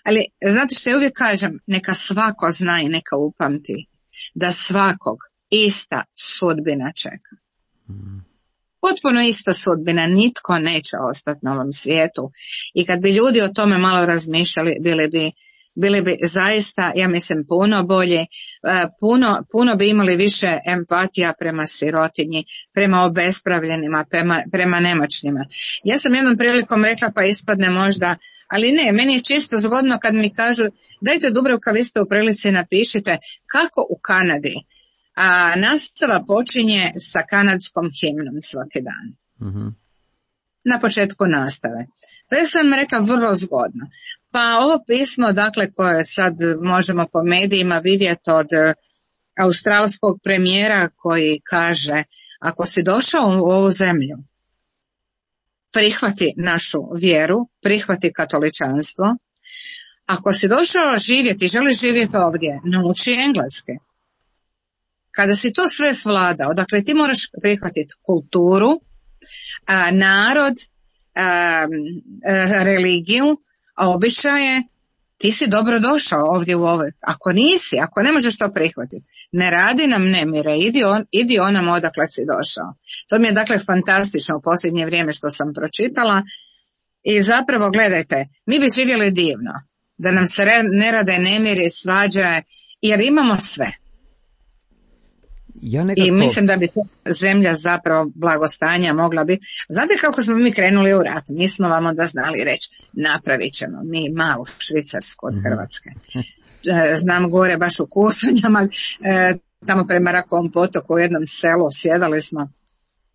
Ali znate što ja uvijek kažem, neka svako zna i neka upamti da svakog ista sudbina čeka. Potpuno ista sudbina, nitko neće ostati na ovom svijetu i kad bi ljudi o tome malo razmišljali, bili bi bili bi zaista, ja mislim, puno bolje, puno, puno bi imali više empatija prema sirotinji, prema obespravljenima, prema, prema nemoćnima. Ja sam jednom prilikom rekla, pa ispadne možda, ali ne, meni je čisto zgodno kad mi kažu, dajte Dubravka, vi ste u prilici, napišite kako u Kanadi a nastava počinje sa kanadskom himnom svaki dan. Mm-hmm. Na početku nastave. To je, sam rekla, vrlo zgodno. Pa ovo pismo, dakle, koje sad možemo po medijima vidjeti od australskog premijera koji kaže, ako si došao u ovu zemlju, prihvati našu vjeru, prihvati katoličanstvo. Ako si došao živjeti, želiš živjeti ovdje, nauči engleske. Kada si to sve svladao, dakle ti moraš prihvatiti kulturu, a, narod, a, a, religiju, a običaje, ti si dobro došao ovdje u ovoj. Ako nisi, ako ne možeš to prihvatiti, ne radi nam nemire, idi, on, idi onam odakle si došao. To mi je dakle fantastično u posljednje vrijeme što sam pročitala i zapravo gledajte, mi bi živjeli divno, da nam se ne rade nemiri, svađe, jer imamo sve. Ja nekako... I mislim da bi zemlja zapravo blagostanja mogla biti. Znate kako smo mi krenuli u rat? Nismo vam onda znali reći, napravit ćemo mi malu Švicarsku od Hrvatske. Znam gore baš u Kusonjama, tamo prema Rakovom potoku u jednom selu sjedali smo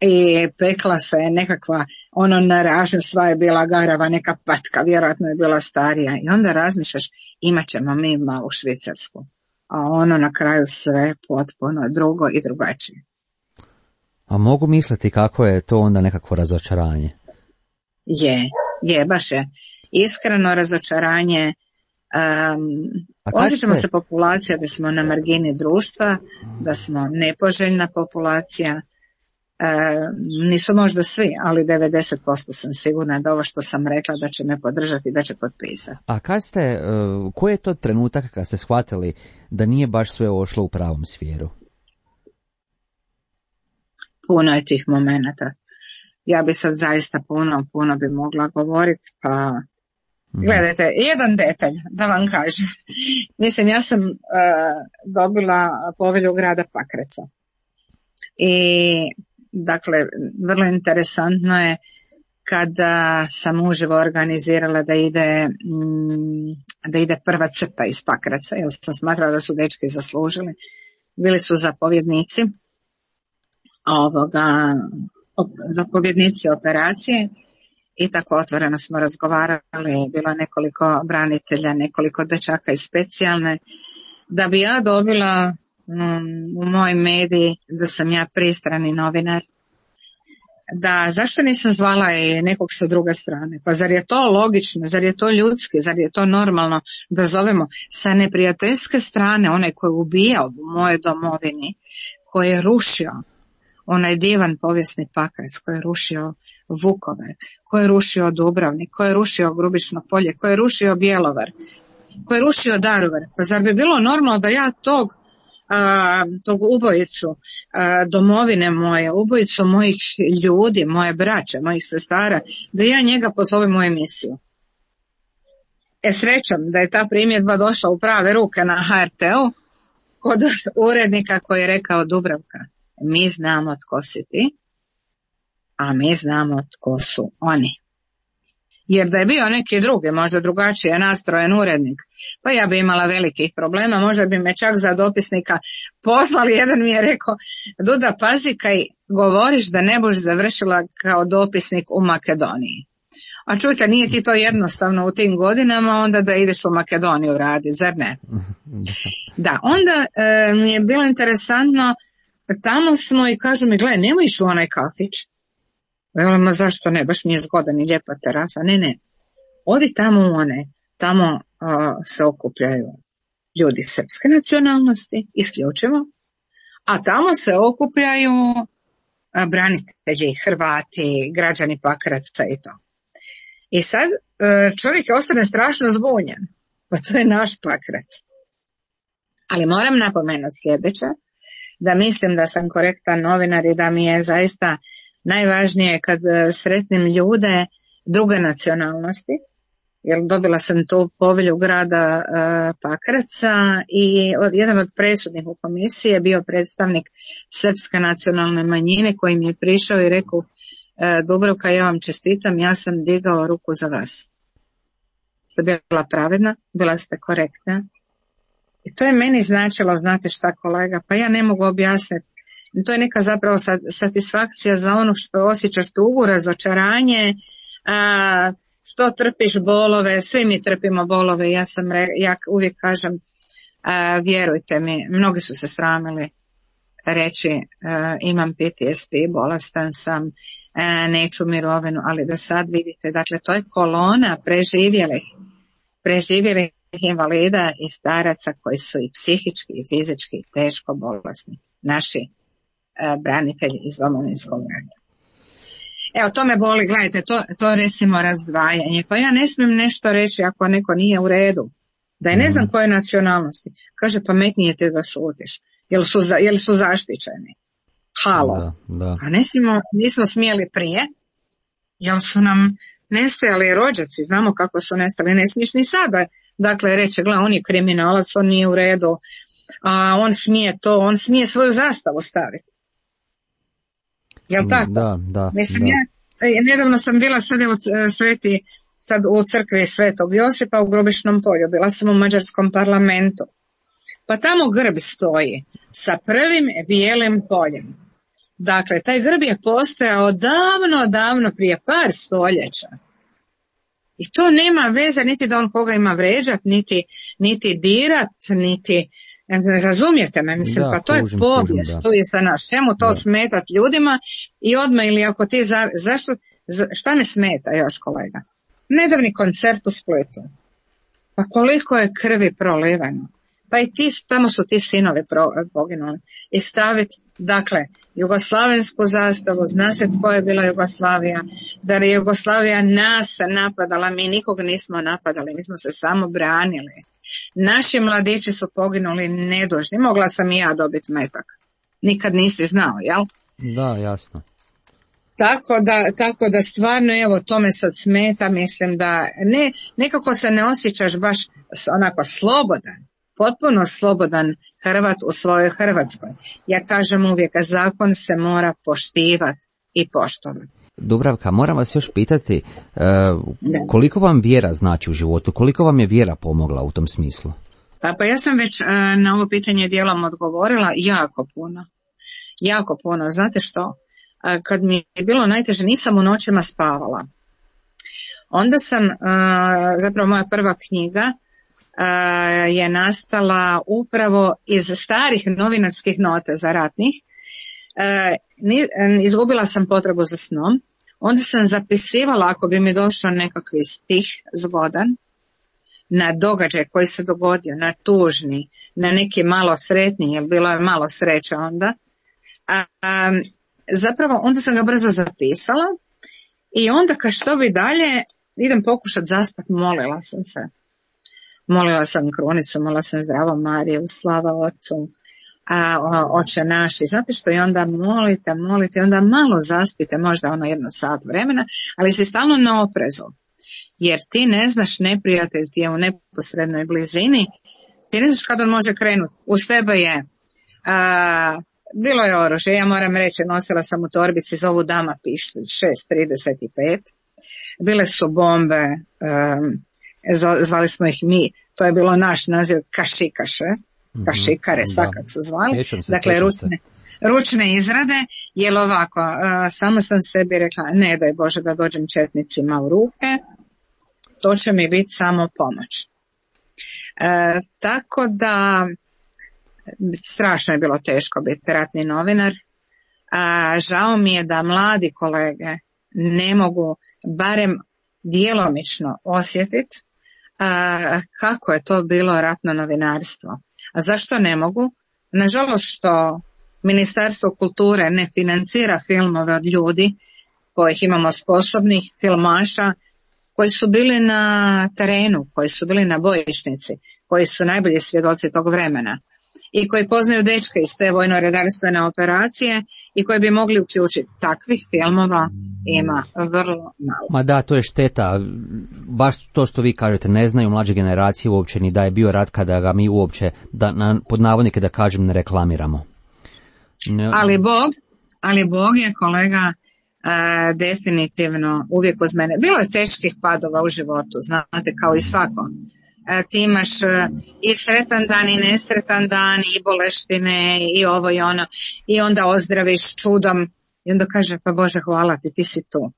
i pekla se nekakva, ono na ražnju sva je bila garava, neka patka, vjerojatno je bila starija. I onda razmišljaš, imat ćemo mi malu Švicarsku. A ono na kraju sve potpuno drugo i drugačije. A mogu misliti kako je to onda nekakvo razočaranje? Je, je, baš je. Iskreno razočaranje. Um, osjećamo se populacija da smo na margini društva, da smo nepoželjna populacija. Um, nisu možda svi, ali devedeset posto sam sigurna da ovo što sam rekla da će me podržati, da će potpisati. A kad ste, uh, koji je to trenutak kad ste shvatili da nije baš sve ošlo u pravom smjeru? Puno je tih momenata. Ja bi sad zaista puno, puno bi mogla govoriti, pa mm. gledajte, jedan detalj da vam kažem. Mislim, ja sam uh, dobila povelju grada Pakraca. I dakle, vrlo interesantno je kada sam uživo organizirala da ide, da ide prva crta iz Pakraca, jer sam smatrala da su dečki zaslužili. Bili su zapovjednici ovoga, zapovjednici operacije i tako otvoreno smo razgovarali, bilo nekoliko branitelja, nekoliko dečaka iz specijalne, da bi ja dobila u moj mediji da sam ja pristrani novinar, da zašto nisam zvala i nekog sa druge strane, pa zar je to logično, zar je to ljudski, zar je to normalno da zovemo sa neprijateljske strane onaj koji je ubijao u mojoj domovini, koji je rušio onaj divan povijesni Pakrac, koji je rušio Vukovar, koji je rušio Dubrovnik, koji je rušio Grubišno polje, koji je rušio Bjelovar, koji je rušio Daruvar, pa zar bi bilo normalno da ja tog A, tog ubojicu a, domovine moje, ubojicu mojih ljudi, moje braće, mojih sestara, da ja njega pozovem u emisiju. E srećom da je ta primjedba došla u prave ruke na ha er te-u kod urednika koji je rekao, Dubravka, mi znamo tko si ti, a mi znamo tko su oni. Jer da je bio neki drugi, možda drugačije nastrojen urednik, pa ja bi imala velikih problema, možda bi me čak za dopisnika poslali. Jedan mi je rekao, Duda, pazi kaj govoriš da ne boš završila kao dopisnik u Makedoniji. A čujte, nije ti to jednostavno u tim godinama, onda da ideš u Makedoniju raditi, zar ne? Da, onda e, mi je bilo interesantno, tamo smo i kažu mi, gle, nemoj ići u onaj kafić. Velimo, zašto ne, baš mi je zgodan i lijepa terasa. Ne, ne, odi tamo u one, tamo uh, se okupljaju ljudi srpske nacionalnosti, isključivo, a tamo se okupljaju uh, branitelji, Hrvati, građani Pakraca i to. I sad uh, čovjek ostane strašno zbunjen, pa to je naš Pakrac. Ali moram napomenuti sljedeće, da mislim da sam korektan novinar i da mi je zaista najvažnije kad sretnim ljude druge nacionalnosti, jer dobila sam tu povelju grada uh, Pakraca i od, jedan od presudnih u komisiji je bio predstavnik srpske nacionalne manjine koji mi je prišao i rekao, uh, Dubravka, ja vam čestitam, ja sam digao ruku za vas. Ste bila pravedna, bila ste korektna. I to je meni značilo, znate šta kolega, pa ja ne mogu objasniti. To je neka zapravo satisfakcija za ono što osjećaš, tugu, razočaranje, a, što trpiš bolove, svi mi trpimo bolove, ja sam, ja uvijek kažem, a, vjerujte mi, mnogi su se sramili reći a, imam P T S P, bolestan sam, a, neću mirovinu, ali da sad vidite, dakle to je kolona preživjelih, preživjelih invalida i staraca koji su i psihički i fizički teško bolesni. naši e, branitelji iz Domovinskog rata. Evo, to me boli, gledajte, to, to recimo razdvajanje. Pa ja ne smijem nešto reći ako neko nije u redu. Da je ne znam koje nacionalnosti. Kaže, pametnije te da šutiš. Jel su, za, jel su zaštićeni? Halo. Da, da. A ne smijemo, nismo smjeli prije, jel su nam nestajali rođaci, znamo kako su nestali, ne smiješ ni sada. Dakle, reći, gle, on je kriminalac, on nije u redu, a on smije to, on smije svoju zastavu staviti. Jel tako? Da, da. Mislim, da. Ja, nedavno sam bila sad u sveti, sad u crkvi Svetog Josipa u Grubišnom polju, bila sam u mađarskom parlamentu. Pa tamo grb stoji sa prvim bijelim poljem. Dakle, taj grb je postojao davno, davno prije par stoljeća. I to nema veze niti da on koga ima vređat, niti, niti dirat, niti, razumijete me, mislim, da, pa to tužim, je povijest, tužim, tu je sa nas. Čemu to da. smetat ljudima i odmah ili ako ti, za, zašto, za, šta me smeta još kolega? Nedavni koncert u Splitu. Pa koliko je krvi prolivano. Pa i ti, tamo su ti sinovi pro, poginuli. I staviti, dakle, jugoslavensku zastavu, zna se tko je bila Jugoslavija, da je Jugoslavija nas napadala, mi nikog nismo napadali, mi smo se samo branili. Naši mladići su poginuli nedužni, mogla sam i ja dobiti metak. Nikad nisi znao, jel? Da, jasno. Tako da, tako da stvarno, evo, to me sad smeta, mislim da ne, nekako se ne osjećaš baš onako slobodan, potpuno slobodan Hrvat u svojoj Hrvatskoj. Ja kažem uvijek, zakon se mora poštivati i poštovati. Dubravka, moram vas još pitati, uh, koliko vam vjera znači u životu, koliko vam je vjera pomogla u tom smislu? Pa, pa ja sam već uh, na ovo pitanje dijelom odgovorila, jako puno. Jako puno, znate što? Kad mi je bilo najteže, nisam u noćima spavala. Onda sam, zapravo moja prva knjiga je nastala upravo iz starih novinarskih nota ratnih. Izgubila sam potrebu za snom. Onda sam zapisivala, ako bi mi došao nekakvi stih zgodan, na događaj koji se dogodio, na tužni, na neki malo sretni, jer bilo je malo sreća onda. A, a, zapravo onda sam ga brzo zapisala i onda kad što bi dalje idem pokušati zaspati, molila sam se. Molila sam krunicu, molila sam Zdravo Mariju, slava Otcu, a, o, Oče naši. Znate što, i onda molite, molite, onda malo zaspite, možda ono jedno sat vremena, ali si stalno na oprezu. Jer ti ne znaš, neprijatelj ti je u neposrednoj blizini, ti ne znaš kad on može krenuti. Uz tebe je... A, bilo je oružje, ja moram reći, nosila sam u torbici, zovu dama pištolj šest trideset pet, bile su bombe, um, zvali smo ih mi, to je bilo naš naziv kašikaše, kašikare, mm-hmm, svakak su zvali, se, dakle ručne, ručne izrade, jer ovako, uh, samo sam sebi rekla, ne daj Bože da dođem četnicima u ruke, to će mi biti samo pomoć. Uh, tako da, strašno je bilo teško biti ratni novinar, a žao mi je da mladi kolege ne mogu barem djelomično osjetiti kako je to bilo ratno novinarstvo. A zašto ne mogu? Nažalost što Ministarstvo kulture ne financira filmove od ljudi kojih imamo sposobnih filmaša, koji su bili na terenu, koji su bili na bojišnici, koji su najbolji svjedoci tog vremena i koji poznaju dečke iz te vojno-redarstvene operacije i koji bi mogli uključiti. Takvih filmova ima vrlo malo. Ma da, to je šteta. Baš to što vi kažete, ne znaju mlađe generacije uopće ni da je bio rat kada ga mi uopće, da, na, pod navodnike da kažem, ne reklamiramo. Ne... Ali Bog, ali Bog je, kolega, uh, definitivno uvijek uz mene. Bilo je teških padova u životu, znate, kao i svako. Ti imaš i sretan dan i nesretan dan i boleštine i ovo i ono i onda ozdraviš čudom i onda kaže pa Bože hvala ti, ti si tu.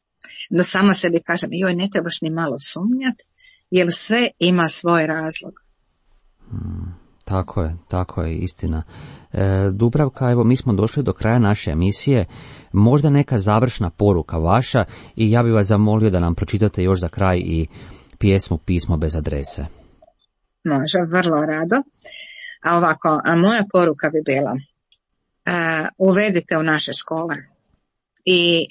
Onda sama sebi kažem joj ne trebaš ni malo sumnjati jer sve ima svoj razlog. Hmm, tako je, tako je, istina. E, Dubravka, evo mi smo došli do kraja naše emisije, možda neka završna poruka vaša i ja bih vas zamolio da nam pročitate još za kraj i pjesmu Pismo bez adrese. Može, vrlo rado. A ovako, a moja poruka bi bila, uh, uvedite u naše škole. I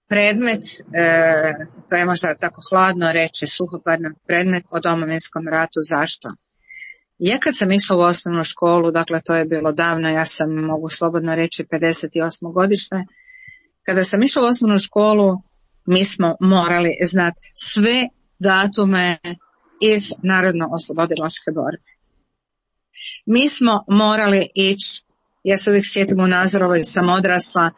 predmet, uh, to je možda tako hladno reći, suhoparno, predmet o Domovinskom ratu. Zašto? Ja kad sam išla u osnovnu školu, dakle to je bilo davno, ja sam, mogu slobodno reći, pedeset osme godište, kada sam išla u osnovnu školu, mi smo morali znati sve datume iz narodno-oslobodilačke borbe. Mi smo morali ići, ja se uvijek sjetim u Nazorovoj, sam odrasla,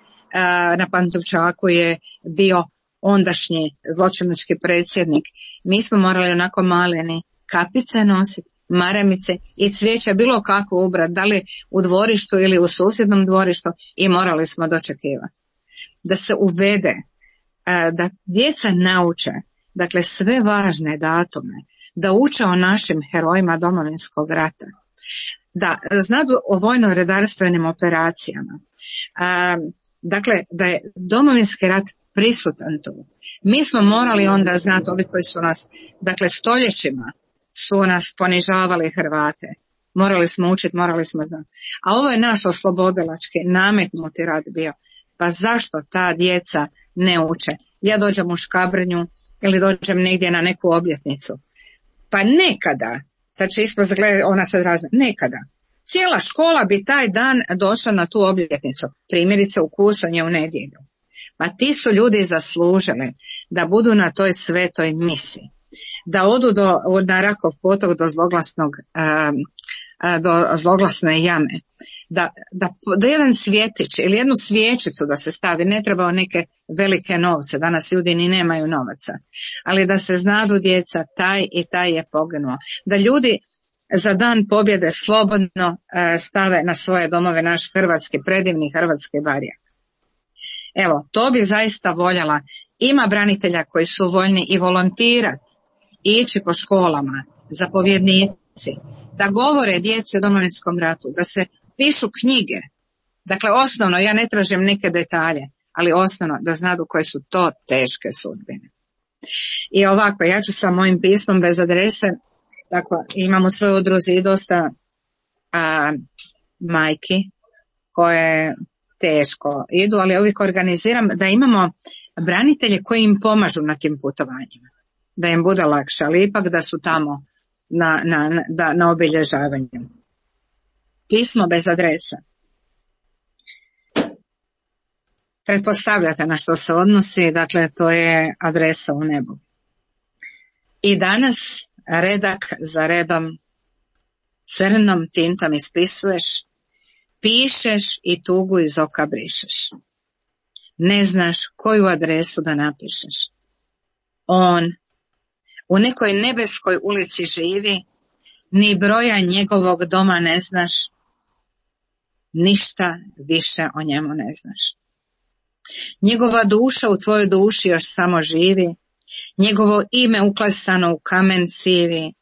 na Pantovčaku je bio ondašnji zločinački predsjednik. Mi smo morali onako maleni kapice nositi, maramice i cvijeća, bilo kako ubrat, da li u dvorištu ili u susjednom dvorištu, i morali smo dočekivati. Da se uvede, da djeca nauče, dakle sve važne datume, da uče o našim herojima Domovinskog rata, da znaju o vojno-redarstvenim operacijama, dakle da je Domovinski rat prisutan tu. Mi smo morali onda znati, ovi koji su nas, dakle stoljećima su nas ponižavali Hrvate, morali smo učiti, morali smo znati. A ovo je naš oslobodilački nametnuti rat bio. Pa zašto ta djeca ne uče? Ja dođem u Škabrnju ili dođem negdje na neku obljetnicu. Pa nekada, sad će ispod gledati, ona sad razme, nekada. Cijela škola bi taj dan došla na tu obljetnicu, primjerice u Kusonje u nedjelju. Pa ti su ljudi zaslužili da budu na toj svetoj misi, da odu do, na Rakov potok do zloglasnog, um, do zloglasne jame, da, da, da jedan cvjetić ili jednu svijećicu da se stavi, ne treba neke velike novce, danas ljudi ni nemaju novaca, ali da se znadu djeca, taj i taj je poginuo, da ljudi za dan pobjede slobodno uh, stave na svoje domove naš hrvatski, predivni hrvatski barjak. Evo, to bi zaista voljela. Ima branitelja koji su voljni i volontirati, ići po školama, zapovjednici, da govore djeci o Domovinskom ratu, da se pišu knjige. Dakle, osnovno, ja ne tražim neke detalje, ali osnovno da znadu koje su to teške sudbine. I ovako, ja ću sa mojim pismom bez adrese, tako, imam u svojoj udruzi i dosta a, majki koje teško idu, ali uvijek organiziram da imamo branitelje koji im pomažu na tim putovanjima, da im bude lakše, ali ipak da su tamo na, na, na, na obilježavanju. Pismo bez adrese. Pretpostavljate na što se odnosi, dakle to je adresa u nebu. I danas redak za redom crnom tintom ispisuješ, pišeš i tugu iz oka brišeš. Ne znaš koju adresu da napišeš. On u nekoj nebeskoj ulici živi, ni broja njegovog doma ne znaš, ništa više o njemu ne znaš. Njegova duša u tvojoj duši još samo živi, njegovo ime uklesano u kamen sivi,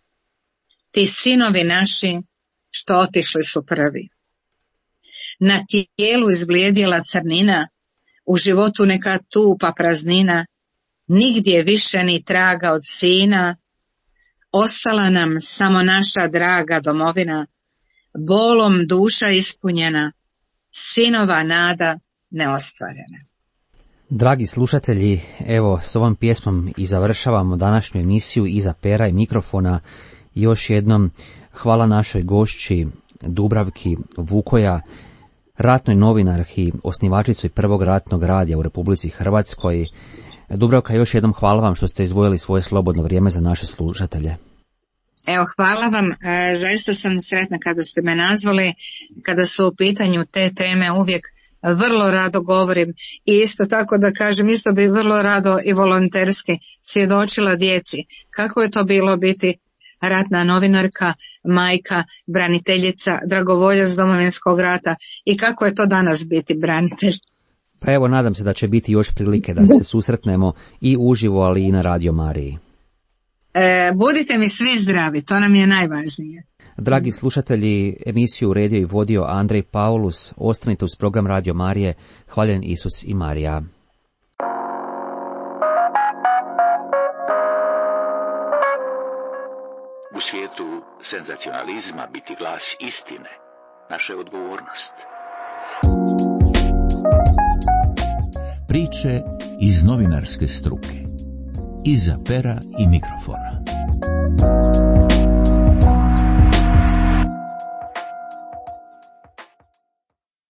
ti sinovi naši što otišli su prvi. Na tijelu izblijedjela crnina, u životu neka tupa praznina, nigdje više ni traga od sina, ostala nam samo naša draga domovina, bolom duša ispunjena, sinova nada neostvarena. Dragi slušatelji, evo s ovom pjesmom i završavamo današnju emisiju Iza pera i mikrofona. Još jednom hvala našoj gošći Dubravki Vukoja, ratnoj novinarki, osnivačici prvog ratnog radija u Republici Hrvatskoj. Dubravka, još jednom hvala vam što ste izdvojili svoje slobodno vrijeme za naše slušatelje. Evo, hvala vam. E, zaista sam sretna kada ste me nazvali, kada su u pitanju te teme uvijek vrlo rado govorim i isto tako da kažem, isto bi vrlo rado i volonterski svjedočila djeci kako je to bilo biti ratna novinarka, majka, braniteljica, dragovoljac Domovinskog rata i kako je to danas biti branitelj. Pa evo, nadam se da će biti još prilike da se susretnemo i uživo, ali i na Radio Mariji. E, budite mi svi zdravi, to nam je najvažnije. Dragi slušatelji, emisiju uredio i vodio Andrej Paulus. Ostanite uz program Radio Marije. Hvaljen Isus i Marija. U svijetu senzacionalizma biti glas istine, naša je odgovornost. Priče iz novinarske struke. Iza pera i mikrofona.